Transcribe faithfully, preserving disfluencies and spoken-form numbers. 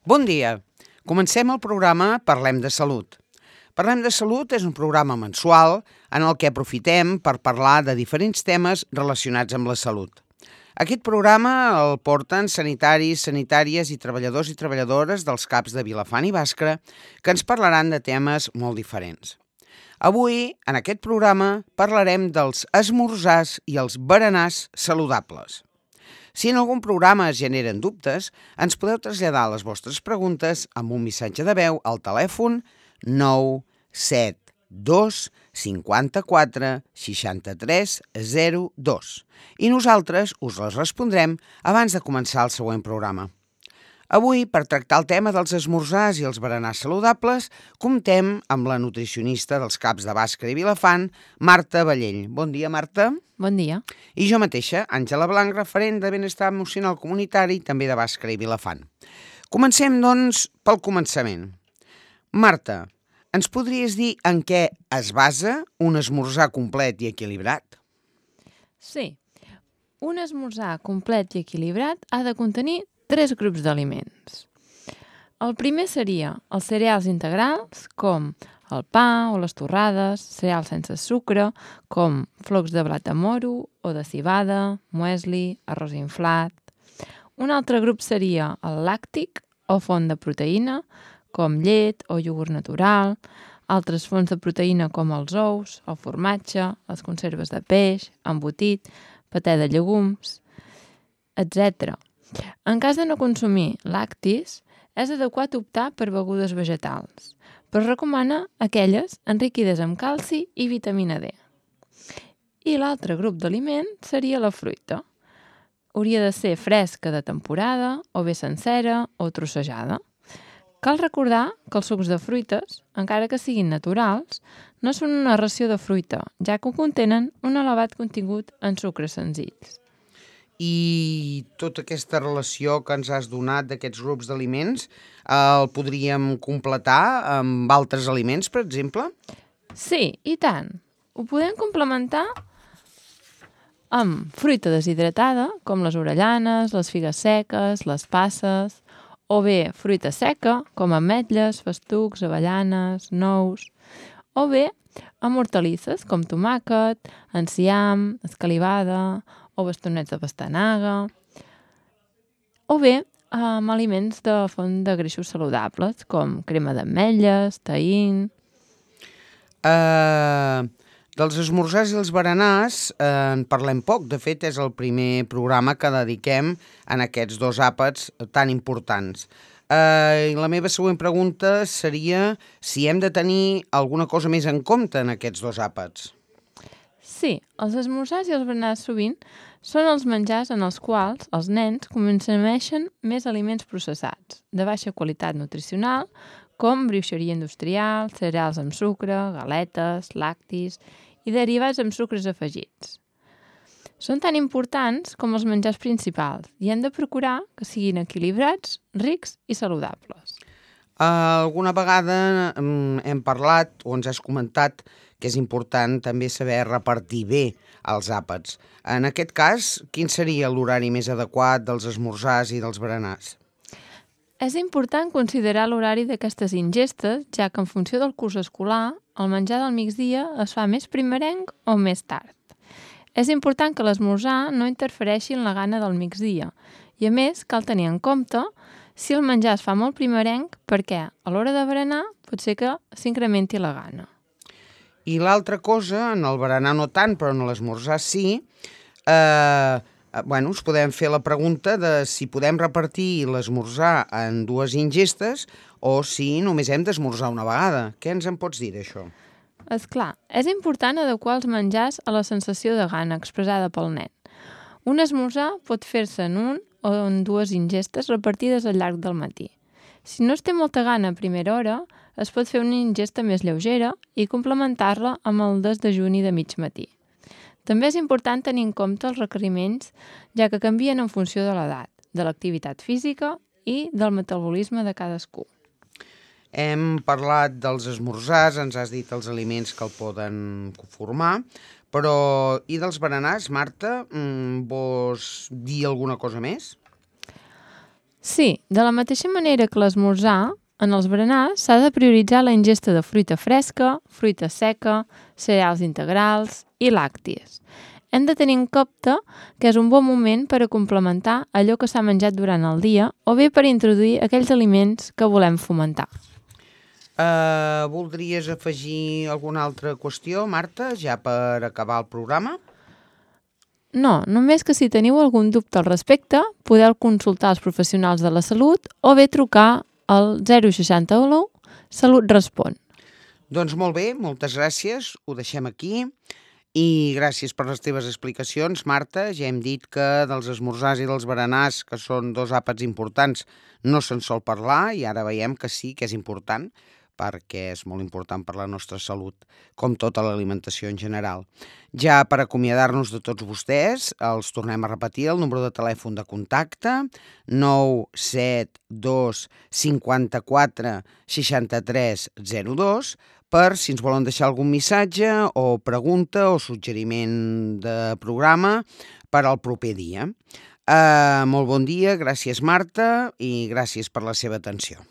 Bon dia. Comencem el programa Parlem de Salut. Parlem de Salut és un programa mensual en el que aprofitem per parlar de diferents temes relacionats amb la salut. Aquest programa el porten sanitaris, sanitàries i treballadors i treballadores dels CAPs de Vilafant i Bàscara que ens parlaran de temes molt diferents. Avui, en aquest programa, parlarem dels esmorzars i els berenars saludables. Si en algun programa es generen dubtes, ens podeu traslladar les vostres preguntes amb un missatge de veu al telèfon nou set dos cinquanta-quatre seixanta-tres zero dos i nosaltres us les respondrem abans de començar el següent programa. Avui, per tractar el tema dels esmorzars i els berenars saludables, comptem amb la nutricionista dels CAPs de Bàscara i Vilafant, Marta Vallell. Bon dia, Marta. Bon dia. I jo mateixa, Àngela Blanc, referent de Benestar Emocional Comunitari, també de Bàscara i Vilafant. Comencem, doncs, pel començament. Marta, ens podries dir en què es basa un esmorzar complet i equilibrat? Sí. Un esmorzar complet i equilibrat ha de contenir tres grups d'aliments. El primer seria els cereals integrals, com el pa o les torrades, cereals sense sucre, com flocs de blat de moro o de civada, muesli, arròs inflat. Un altre grup seria el làctic o font de proteïna, com llet o iogurt natural, altres fonts de proteïna com els ous, el formatge, les conserves de peix, embotit, patè de llegums, etcètera. En cas de no consumir lactis, és adequat optar per begudes vegetals, però recomana aquelles enriquides amb calci i vitamina D. I l'altre grup d'aliment seria la fruita. Hauria de ser fresca de temporada, o bé sencera o trossejada. Cal recordar que els sucs de fruites, encara que siguin naturals, no són una ració de fruita, ja que contenen un elevat contingut en sucres senzills. I tota aquesta relació que ens has donat d'aquests grups d'aliments eh, el podríem completar amb altres aliments, per exemple? Sí, i tant. Ho podem complementar amb fruita deshidratada, com les orellana, les figues seques, les passes, o bé fruita seca, com ametlles, festucs, avellanes, nous, o bé amb hortalisses, com tomàquet, enciam, escalivada, o bastonets de pastanaga, o bé amb aliments de font de greixos saludables, com crema d'ametlles, taïn. Uh, dels esmorzars i els berenars eh, en parlem poc. De fet, és el primer programa que dediquem en aquests dos àpats tan importants. Uh, la meva següent pregunta seria si hem de tenir alguna cosa més en compte en aquests dos àpats. Sí, els esmorzars i els berenars sovint són els menjars en els quals els nens consumeixen més aliments processats, de baixa qualitat nutricional, com brioixeria industrial, cereals amb sucre, galetes, lactis i derivats amb sucres afegits. Són tan importants com els menjars principals i hem de procurar que siguin equilibrats, rics i saludables. Uh, alguna vegada um, hem parlat o ens has comentat que és important també saber repartir bé els àpats. En aquest cas, quin seria l'horari més adequat dels esmorzars i dels berenars? És important considerar l'horari d'aquestes ingestes, ja que en funció del curs escolar, el menjar del migdia es fa més primerenc o més tard. És important que l'esmorzar no interfereixi en la gana del migdia i, a més, cal tenir en compte si el menjar es fa molt primerenc perquè a l'hora de berenar pot ser que s'incrementi la gana. I l'altra cosa, en el berenar no tant, però en l'esmorzar sí, eh, bueno, us podem fer la pregunta de si podem repartir l'esmorzar en dues ingestes o si només hem d'esmorzar una vegada. Què ens en pots dir d'això? És clar, és important adequar els menjars a la sensació de gana expressada pel nen. Un esmorzar pot fer-se en un o en dues ingestes repartides al llarg del matí. Si no es té molta gana a primera hora, es pot fer una ingesta més lleugera i complementar-la amb el desdejuni de mig matí. També és important tenir en compte els requeriments, ja que canvien en funció de l'edat, de l'activitat física i del metabolisme de cadascú. Hem parlat dels esmorzars, ens has dit els aliments que el poden formar, però i dels berenars, Marta, vols dir alguna cosa més? Sí, de la mateixa manera que l'esmorzar, en els berenars s'ha de prioritzar la ingesta de fruita fresca, fruita seca, cereals integrals i làcties. Hem de tenir en compte que és un bon moment per a complementar allò que s'ha menjat durant el dia o bé per introduir aquells aliments que volem fomentar. Uh, voldries afegir alguna altra qüestió, Marta, ja per acabar el programa? No, només que si teniu algun dubte al respecte, podeu consultar els professionals de la salut o bé trucar al zero seixanta-u Salut Respon. Doncs molt bé, moltes gràcies, ho deixem aquí. I gràcies per les teves explicacions, Marta. Ja hem dit que dels esmorzars i dels berenars, que són dos àpats importants, no se'n sol parlar i ara veiem que sí que és important, perquè és molt important per la nostra salut, com tota l'alimentació en general. Ja per acomiadar-nos de tots vostès, els tornem a repetir el número de telèfon de contacte nou set dos cinquanta-quatre seixanta-tres zero dos per si ens volen deixar algun missatge o pregunta o suggeriment de programa per al proper dia. Uh, molt bon dia, gràcies Marta i gràcies per la seva atenció.